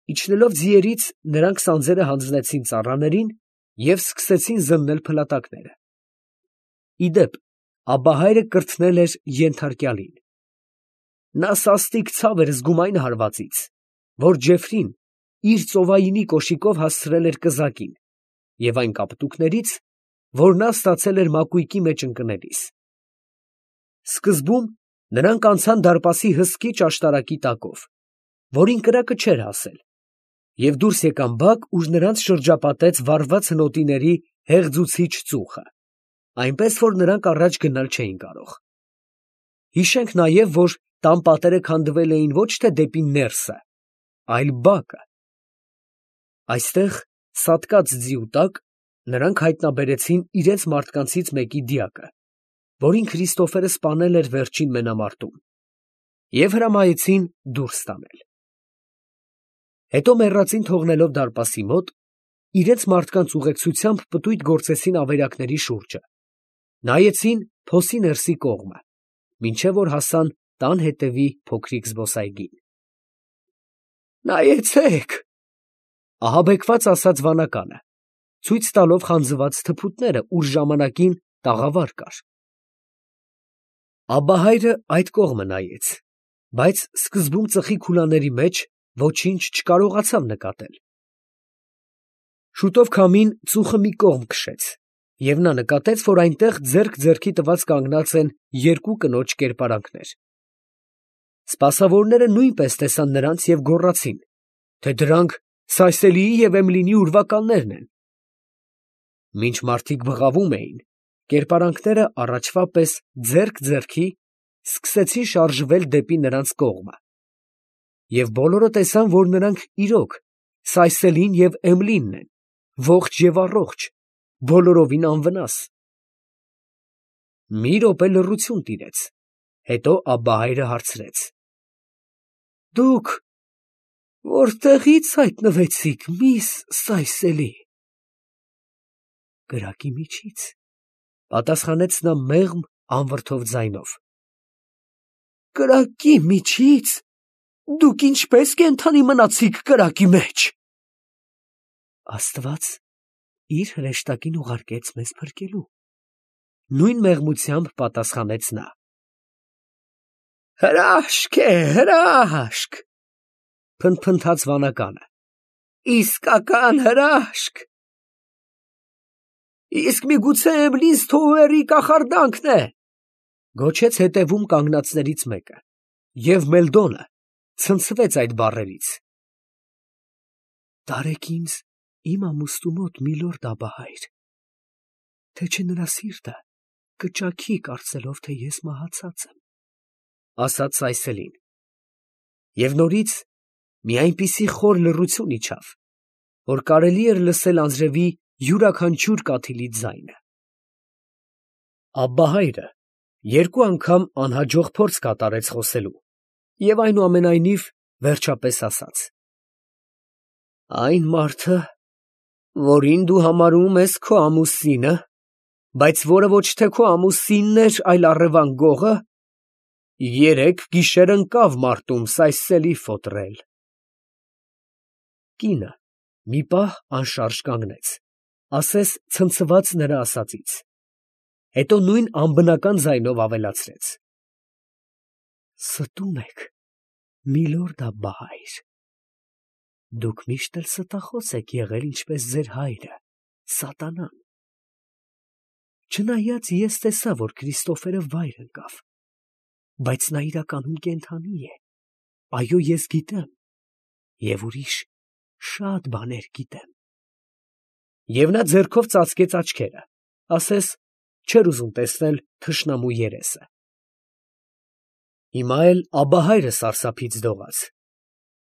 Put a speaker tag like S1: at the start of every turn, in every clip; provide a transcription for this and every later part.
S1: Իջնելով ձիերից, նրանք սանձերը հանձնեցին ծառաներին և սկսեցին զննել փլատակները։ Ի դեպ, Աբահայրը կրթնել էր ենթարկյալին. նա սաստիկ ցավ էր զգում այն հարվածից, որ Ջեֆրին իր ծովայինի կոշիկով հասցրել էր կզակին, և այն կապտուկներից, որ նա ստացել էր մակույկի մեջ ընկնելիս։ Սկզբում նրանք անցան դարպասի հսկիչ աշտարակի տակով, որին կրակը չէր հասել, և դուրս եկան բակ, ուր նրանց շրջապատեց վառված հնոտիների հեղձուցիչ ծուխը, այնպես որ նրանք առաջ գնալ չէին կարող։ Հիշենք նաև, որ տան պատերը քանդվել էին ոչ թե դեպի ներսը, այլ բակը։ Այստեղ, սատկած ձիու տակ, նրանք հայտնաբերեցին իրենց մարդկանցից մեկի դիակը, որին Քրիստոֆերը սպանել էր վերջին մենամարտում, և հրամայեցին դուրս տանել։ Հետո մեռածին թողնելով դարպասի մոտ, իրենց մարդկանց ուղեկցությամբ պտույտ գործեցին ավերակների շուրջը, նայեցին փոսի ներսի կողմը, մինչև որ հասան տան հետևի փոքրիկ զբոսայգին։ «Նայեցե՛ք», ահաբեկված ասաց վանականը, ցույց տալով խանձված թփուտները, ուր ժամանակին տաղավար կար։ Աբահայրը այդ կողմը նայեց, բայց սկզբում ծխի քուլաների մեջ ոչինչ չկարողացավ նկատել։ Շուտով քամին ծուխը մի կողմ քշեց, և նա նկատեց, որ այնտեղ ձեռք ձեռքի տված կանգնած են երկու կնոջ կերպարանքներ։ Սպասավորները նույնպես տեսան նրանց և գոռացին, թե դրանք Սայսելիի և Էմլինի ուրվականներն են։ Մինչ մարդիկ բղավում էին, կերպարանքները առաջվա պես ձեռք ձեռքի սկսեցին շարժվել դեպի նրանց կողմը, և բոլորը տեսան, որ նրանք իրոք Սայսելին և Էմլինն են, ողջ և առողջ, բոլորովին անվնաս։ Մի րոպե լռություն տիրեց, հետո Աբբահայրը հարցրեց. «Դուք որտեղի՞ց հայտնվեցիք, միս Սայսելի»։ «Կրակի միջից», ֊ պատասխանեց նա մեղմ անվրդով ձայնով։ «Կրակի միջի՞ց։ Դուք ինչպե՞ս կենդանի մնացիք կրակի մեջ»։ «Աստված իր հրեշտակին ուղարկեց մեզ փրկելու», ֊ նույն մեղմությամբ պատասխանեց նա։ «Հրաշք է, հրաշք», ֊ փնթփնթաց վանականը, «իսկական հրաշք։ Իսկ միգուցե Էմլին Սթոուերի կախարդանքն է», ֊ գոչեց հետևում կանգնածներից մեկը, և Մելդոնը ցնցվեց այդ բառերից։ «Տարեք ինձ իմ ամուստու մոտ, միլորդ Աբբահայր, թե չէ նրա սիրտը կճաքի, կարծելով, թե ես մահացած եմ», ֊ ասաց Սայսելին։ Եվ նորից մի այնպիսի խոր լռություն իջավ, որ կարելի էր լսել անձրևի յուրաքանչյուր կաթիլի ձայնը։ Աբբահայրը երկու անգամ անհաջող փորձ կատարեց խոսելու և այնուամենայնիվ վերջապես ասաց. «Այն մարդը, որին դու համարում ես քո ամուսինը, բայց որը ոչ թե քո ամուսինն էր, այլ առևան գողը, երեկ գիշեր ընկավ մարտում Սայսելի ֆոտրել»։ Կինը մի պահ անշարժ կանգնեց, ասես ցնցված նրա ասածից, հետո նույն անբնական ձայնով ավելացրեց. «Ստում եք, միլորդ Աբբահայր, դուք միշտ էլ ստախոս եք եղել, ինչպես ձեր հայրը, սատանան։ Չնայած ես տեսա, որ Քրիստոֆերը վայր ընկավ, բայց նա իրականում կենդանի է, այո, ես գիտեմ, և ուրիշ շատ բաներ գիտեմ»։ Եվ նա ձեռքով ծածկեց աչքերը, ասես չէր ուզում տեսնել թշնամու երեսը։ Հիմա էլ Աբբահայրը սարսափից դողաց,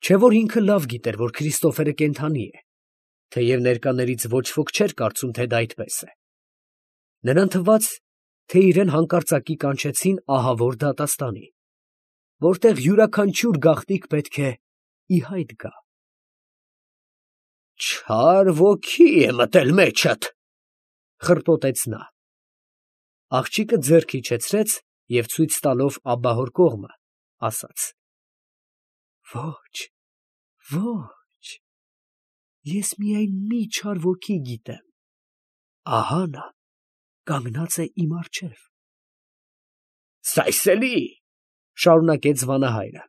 S1: չէ՞ որ ինքը լավ գիտեր, որ Քրիստոֆերը կենդանի է, թեև ներկաներից ոչ ոք չէր կարծում, թե դա այդպես է։ Նրան թվաց, թե իրեն հանկարծակի կանչեցին ահավոր դատաստանի, որտեղ յուրաքանչյուր գաղտնիք պետք է ի հայտ գա։ «Չար ոգի է մտել մեջդ», ֊ խռպոտեց նա։ Աղջիկը ձեռք իջեցրեց և ցույց տալով աբբահոր կողմը, ասաց. «Ոչ, ոչ, ես միայն մի չար ոգի գիտեմ, ահա նա կանգնած է իմ առջև։
S2: Սայսելի,
S1: Շարունակեց վանահայրը,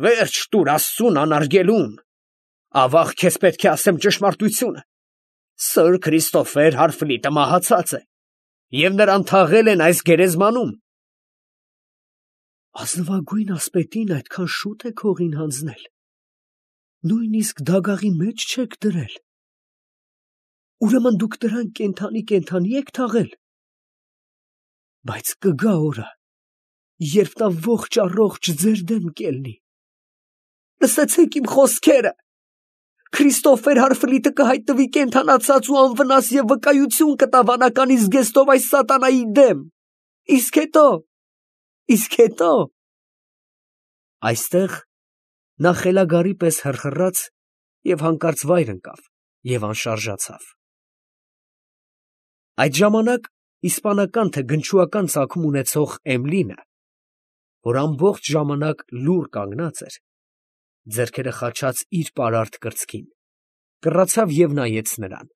S2: վերջ տուր Աստծուն անարգելուն, ավաղ քեզ պետք է ասեմ ճշմարտությունը, Սըր Քրիստոֆեր Հարֆլիտը մահացած է, և նրան թաղել են այս գերեզմանում։
S1: ազնվագույն ասպետին այդքան շուտ եք հողին հանձնել, նույնիսկ դագաղի մեջ չեք դրել, ուրեմն դուք դրան կենդանի եք թաղել, բայց կգա օրը, երբ նա ողջ առողջ ձեր դեմ կելնի։
S2: Լսեցեք իմ խոսքերը, Քրիստոֆեր Հարֆլիտը կհայտնվի կենդանացած ու անվնաս և վկայություն կտա վանականի զգեստով այս սատանայի դեմ, իսկ հետո…
S1: Այստեղ նա խելագարի պես հռհռաց և հանկարծ վայր ընկավ և անշարժացավ։ Այդ ժամանակ իսպանական թե գնչուական ծագում ունեցող Էմլինը, որ ամբողջ ժամանակ լուռ կանգնած էր, ձեռքերը խաչած իր պարարտ կրծքին, կռացավ և նայեց նրան,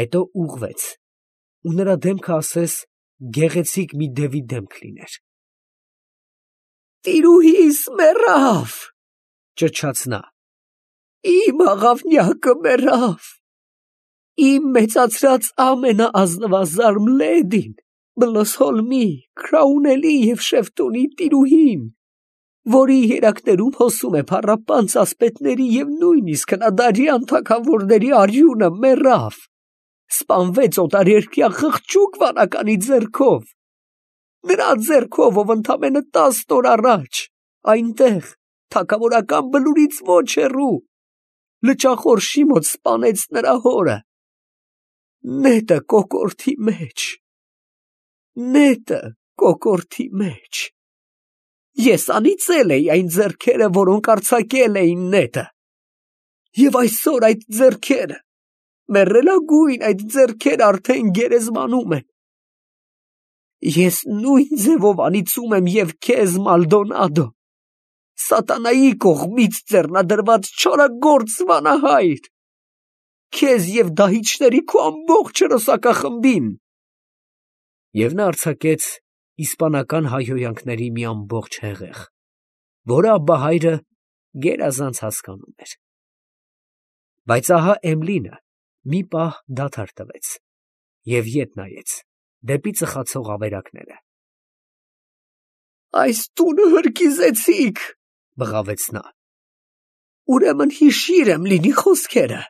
S1: հետո ուղղվեց, ու նրա դեմքը ասես գեղեցիկ մի դևի դեմք լիներ։
S2: Տիրուհիս մեռավ,
S1: ճչաց նա,
S2: իմ աղավնյակը մեռավ, իմ մեծացրած ամենաազնվազարմ լեդին, Բլոսհոլմի, Քրաունելի և Շեֆտոնի տիրուհին, որի երակներում հոսում է փառապանծ ասպետների և նույնիսկ հնադարյան թագավորների արյունը, մեռավ, սպանվեց օտարերկրյա խղճուկ վանականի ձեռքով, նրա ձեռքով, ով ընդամենը 10 օր առաջ, այնտեղ, թագավորական բլուրից ոչ հեռու, լճախորշի մոտ սպանեց նրա հորը, նետը կոկորդի մեջ, ես անիծել էի այն ձեռքերը, որոնք արձակել էին նետը, և այսօր այդ ձեռքերը, մեռելագույն այդ ձեռքերը արդեն գերեզմանում են, ես նույն ձևով անիծում եմ և քեզ, Մալդոնադո, սատանայի կողմից ձեռնադրված չորագործ վանահայր, քեզ և դահիճների քո ամբողջ հրոսակախմբին։
S1: Եվ նա արձակեց իսպանական հայհոյանքների մի ամբողջ հեղեղ, որը աբբահայրը գերազանց հասկանում էր։ Բայց ահա Էմլինը մի պահ դադար տվեց և ետ նայեց դեպի ծխացող ավերակները։
S2: Այս տունը հրկիզեցիք, բղավեց նա, ուրեմն հիշիր եմ լինի խոսքերը,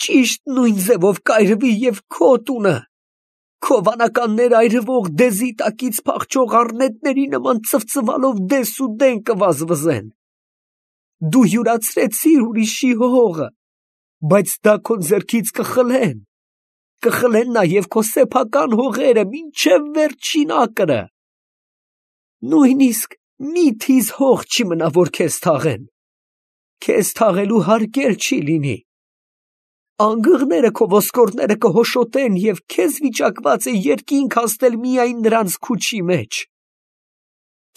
S2: ճիշտ նույն ձևով կայրվի և քո տունը, քո վանականներ այրվող դեզի տակից փախչող առնետների նման ծվծվալով դես ու դեն կվազվզեն, դու յուրացրեցիր ուրիշի հողը, բայց դա քո ձեռքից կխլեն նաև քո սեփական հողերը մինչև վերջին ակրը, նույնիսկ մի թիզ հող չի մնա, որ քեզ թաղեն, քեզ թաղելու հարկ էլ չի լինի, անգղները քո ոսկորները կհոշոտեն և քեզ վիճակված է երկինք հասնել միայն նրանց քուչի մեջ,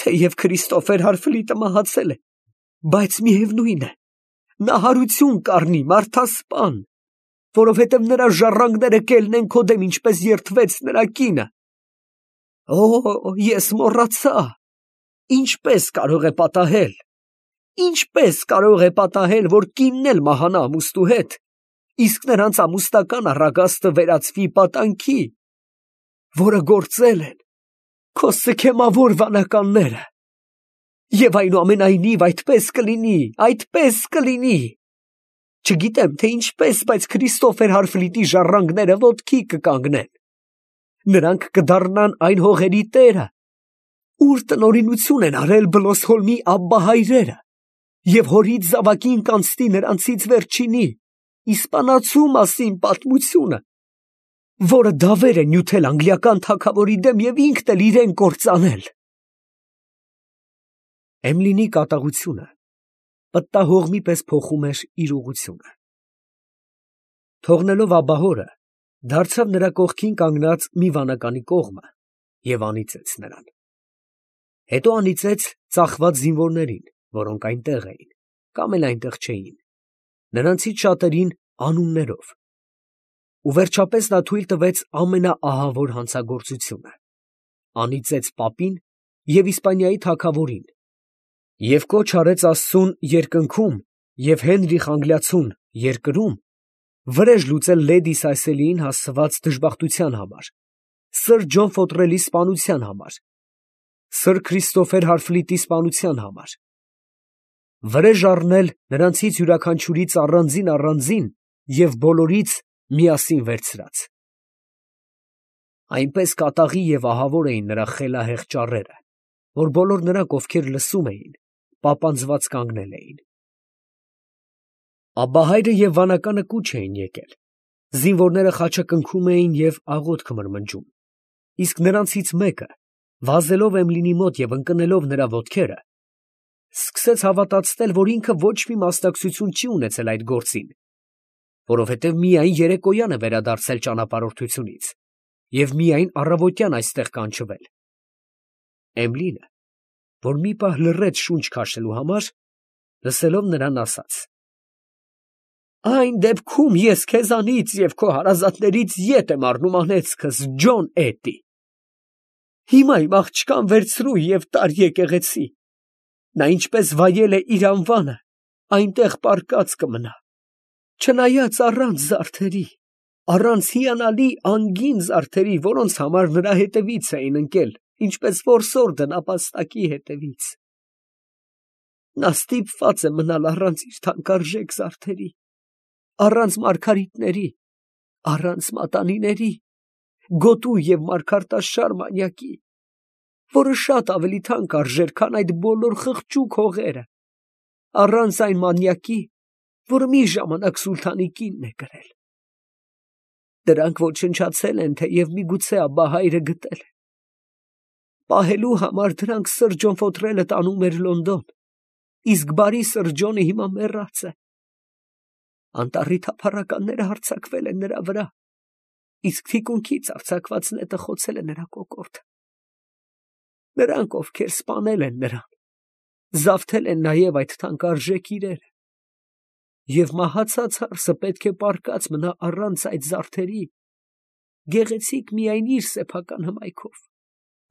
S2: թեև Քրիստոֆեր Հարֆլիտը մահացել է, բայց միևնույն է, նա հարություն կառնի, մարդասպան, որովհետև նրա ժառանգները կելնեն քո դեմ, ինչպես երդվեց նրա կինը։ Ես մոռացա, ինչպես կարող է պատահել, որ կինն էլ մահանա ամուսնու հետ, իսկ նրանց ամուսնական առագաստը վերածվի պատանքի, որը գործել են քո սքեմավոր վանականները, և այնուամենայնիվ այդպես կլինի, չգիտեմ, թե ինչպես, բայց Քրիստոֆեր Հարֆլիտի ժառանգները ոտքի կկանգնեն, նրանք կդառնան այն հողերի տերը, ուր տնօրինություն են արել Բլոսհոլմի աբբահայրերը, և հորից զավակին կանցնի նրանցից վերջինի, իսպանացու մասին պատմությունը, որը դավեր է նյութել անգլիական թագավորի դեմ և ինքն էլ իրեն կործանել։ Էմլինի կատաղությունը պտտահողմի պես փոխում էր իր ուղղությունը։ Թողնելով աբբահորը, դարձավ նրա կողքին կանգնած մի վանականի կողմը և անիծեց նրան։ Հետո անիծեց ծախված զինվորներին, որոնք այնտեղ էին, կամ էլ այնտեղ չէին,
S1: նրանցից շատերին անուններով, ու վերջապես նա թույլ տվեց ամենաահավոր հանցագործությունը, անիծեց պապին և Իսպանիայի թագավորին և կոչ արեց Աստծուն երկնքում և Հենրիխ Անգլիացուն երկրում վրեժ լուծել լեդի Սիսելիին հասցված դժբախտության համար, սըր Ջոն Ֆոտրելի սպանության համար, սըր Քրիստոֆեր Հարֆլիտի սպանության համար, վրեժ առնել նրանցից յուրաքանչյուրից առանձին և բոլորից միասին վերցրած։ Այնպես կատաղի և ահավոր էին նրա խելահեղ ճառերը, որ բոլոր նրանք, ովքեր լսում էին, պապանձված կանգնել էին։ Աբբահայրը և վանականը կուչ էին եկել, զինվորները խաչակնքում էին և աղոթք մրմնջում, իսկ նրանցից մեկը, վազելով Էմլինի մոտ և ընկնելով նրա ոտքերը, սկսեց հավատացնել, որ ինքը ոչ մի մասնակցություն չի ունեցել այդ գործին, որովհետև միայն երեկոյան է վերադարձել ճանապարհորդությունից և միայն առավոտյան այստեղ կանչվել։ Էմլինը, որ մի պահ լռեց շունչ քաշելու համար, լսելով նրան, ասաց. «Այն դեպքում ես քեզանից և քո հարազատներից ետ եմ առնում անեծքս, Ջոն Էդի. հիմա իմ աղջկան վերցրու և տար եկեղեցի. նա ինչպես վայել է իր անվանը, այնտեղ պառկած կմնա, չնայած առանց զարդերի, առանց հիանալի անգին զարդերի, որոնց համար նրա հետևից էին ընկել, ինչպես որսորդը նապաստակի հետևից. նա ստիպված է մնալ առանց իր թանկարժեք զարդերի, առանց մարգարիտների, առանց մատանիների, գոտու և մարգարտաշար մանյակի, որը շատ ավելի թանկ արժեր, քան այդ բոլոր խղճուկ հողերը, առանց այն մանյակի, որը մի ժամանակ սուլթանի կինն է կրել։ Դրանք ոչնչացել են, թեև միգուցե Աբբահայրը գտել է։ Պահելու համար դրանք սըր Ջոն Ֆոտրելը տանում էր Լոնդոն, իսկ բարի սըր Ջոնը հիմա մեռած է։ Անտառի թափառականները հարձակվել են նրա վրա, իսկ թիկունքից արձակված նետը խոցել է նրա կոկորդը։ Նրանք, ովքեր սպանել են նրան, զավթել են նաև այդ թանկարժեք իրերը, և մահացած հարսը պետք է պառկած մնա առանց այդ զարդերի, գեղեցիկ միայն իր սեփական հմայքով,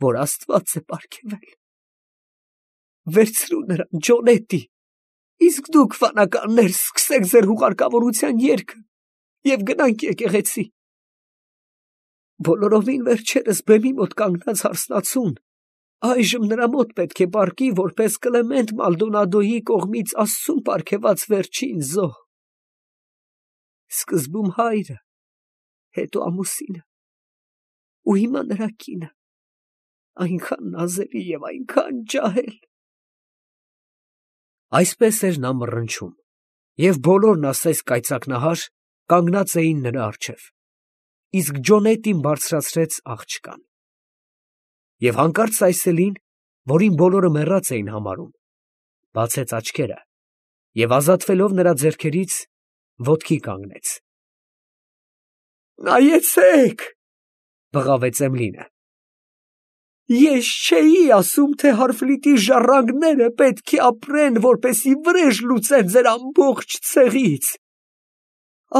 S1: որ Աստված է պարգևել։ Վերցրու նրան, Ջոն Էդի, իսկ դուք, վանականներ, սկսեք ձեր հուղարկավորության երգը և գնանք եկեղեցի։ Բոլորովին վերջերս բեմի մոտ կանգնած հարսնացուն այժմ նրա մոտ պետք է պառկի որպես Կլեմենտ Մալդոնադոյի կողմից Աստծուն պարգևած վերջին զոհ։ Սկզբում հայրը, հետո ամուսինը, ու հիմա նրա կինը, այնքան նազելի և այնքան ջահել։ Այսպես էր նա մռնչում, և բոլորն ասես կայծակնահար կանգնած էին նրա առջև, իսկ Ջոն Էդդին բարձրացրեց աղջկան։ Եվ հանկարծ Սիսելին, որին բոլորը մեռած էին համարում, բացեց աչքերը և ազատվելով նրա ձեռքերից, ոտքի կանգնեց։ «Նայեցե՛ք», բղավեց Էմլինը, «ես չէի ասում, թե Հարֆլիտի ժառանգները պետք է ապրեն, որպեսզի վրեժ լուծեն ձեր ամբողջ ցեղից։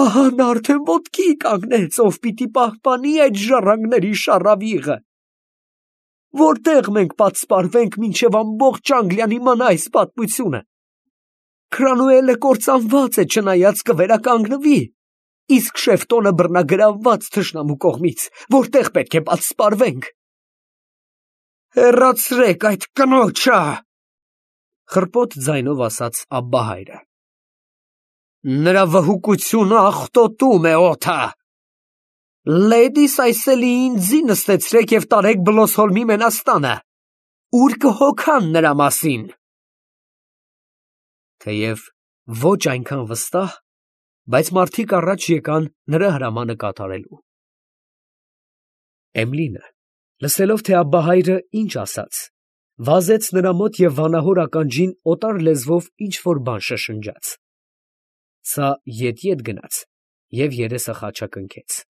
S1: Ահա նա արդեն ոտքի կանգնեց, ով պիտի պահպանի այդ ժառանգների շառավիղը։ Որտե՞ղ մենք պատսպարվենք, մինչև ամբողջ Անգլիան իմանա այս պատմությունը։ Քրանուելը կործանված է, չնայած կվերականգնվի, իսկ Շեֆտոնը բռնագրավված թշնամու կողմից, որտե՞ղ պետք է պատսպարվենք։ Հեռացրեք այդ կնոջը, խռպոտ ձայնով ասաց Աբբահայրը։ Նրա վհուկությունը աղտոտում է օդը։ Լեդի Սիսելիին ձի նստեցրեք և տարեք Բլոսհոլմի մենաստանը, ուր կհոգան նրա մասին։ Թեև ոչ այնքան վստահ, բայց մարդիկ առաջ եկան նրա հրամանը կատարելու։ Էմլինը, լսելով, թե Աբբահայրը ինչ ասաց, վազեց նրա մոտ և վանահոր ականջին օտար լեզվով ինչ֊որ բան շշնջաց։ Սա ետ գնաց և երեսը խաչակնքեց։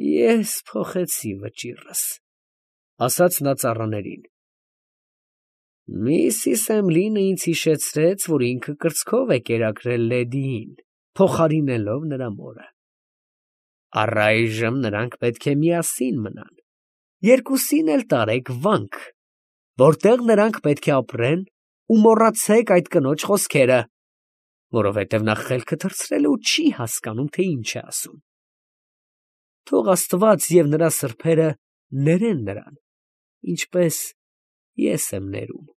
S1: Ես փոխեցի վճիռս, ասաց նա ծառաներին։ Միսիս Էմլինը ինձ հիշեցրեց, որ ինքը կրծքով է կերակրել Լեդիին, փոխարինելով նրա մորը։ Առայժմ նրանք պետք է միասին մնան, երկուսին էլ տարեք վանք, որտեղ նրանք պետք է ապրեն, ու մոռացեք այդ կնոջ խոսքերը, որովհետև նա խելքը թռցրել է ու չի հասկանում, թե ինչ է ասում։ Թող Աստված և նրա սրբերը ներեն նրան, ինչպես ես եմ ներում։